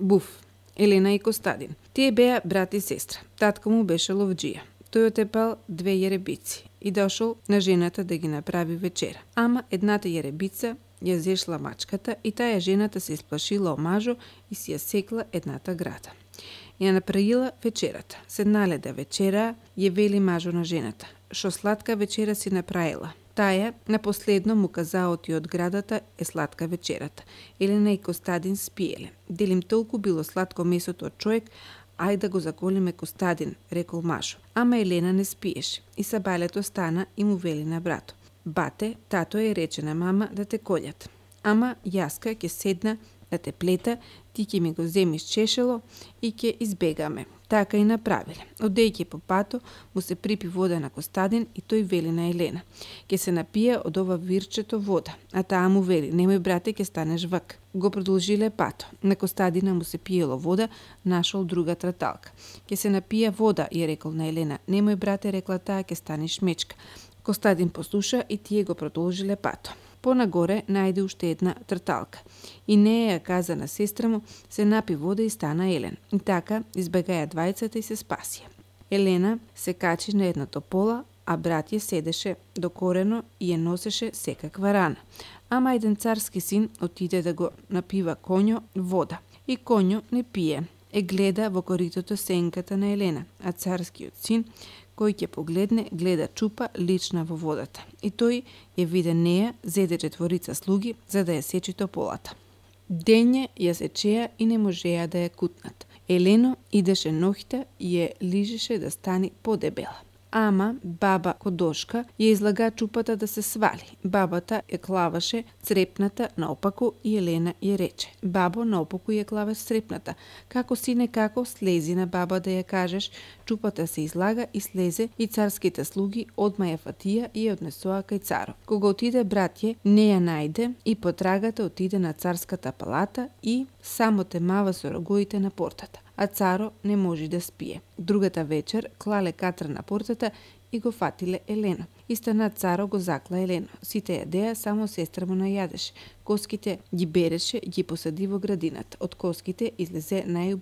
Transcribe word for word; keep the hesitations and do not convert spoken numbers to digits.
Буф, Елена и Костадин. Тие беа брат и сестра. Татко му беше ловџија. Тој отепал две јеребици и дошол на жената да ги направи вечера. Ама едната јеребица ја зешла мачката и таа жената се исплашила омажо и си ја секла едната града. Ја направила вечерата. Седнале да вечера, ја вели мажо на жената: "Шо сладка вечера си направила?" Таја напоследно му каза оти од градата е сладка вечерата. Елена и Костадин спиеле. Дели им толку било сладко месото од човек, ај да го заколиме Костадин, рекол мажо. Ама Елена не спиеше и сабалето стана и му вели на брато: "Бате, тато е рече на мама да те колјат. Ама јаска ќе седна да те плета, ти ќе ми го земиш чешело и ќе избегаме." Така и направиле. Одејќи по пато, му се припи вода на Костадин и тој вели на Елена: "Ке се напија од ова вирчето вода." А таа му вели: "Немој брате, ке станеш вак." Го продолжиле пато. На Костадина му се пиело вода, нашол друга траталка. "Ке се напија вода," ја рекол на Елена. "Немој брате," рекла таа, "ке станеш мечка." Костадин послуша и тие го продолжиле пато. Понагоре најде уште една трталка и неја ја каза на сестра му, се напи вода и стана Елен. И така избегаја двајцата и се спасија. Елена се качи на едното пола, а брат ја седеше докорено и ја носеше секаква рана. Ама еден царски син отиде да го напива коњо вода. И коњо не пие. Е гледа во коритото сенката на Елена, а царскиот син кој ќе погледне, гледа чупа лична во водата. И тој ја виде неја, зеде четворица слуги за да ја сечи тополата. Дење ја сечеа и не можеа да ја кутнат. Елено идеше ноќта и ја лижеше да стани подебела. Ама баба Кодошка ја излага чупата да се свали. Бабата ја клаваше црепната наопаку и Елена ја рече: "Бабо, наопаку ја клаваш црепната. Како сине, како слези на баба да ја кажеш." Чупата се излага и слезе и царските слуги одма ја фатија и ја однесоа кај царот. Кога отиде братје, не ја најде и потрагата отиде на царската палата и само темава со рогоите на портата. А царо не може да спие. Другата вечер клале катра на портата и го фатиле Елено. Истана царо го закла Елено. Сите јадеа, само сестра му најадеше. Коските ги береше, ги посади во градината. Од коските излезе најубав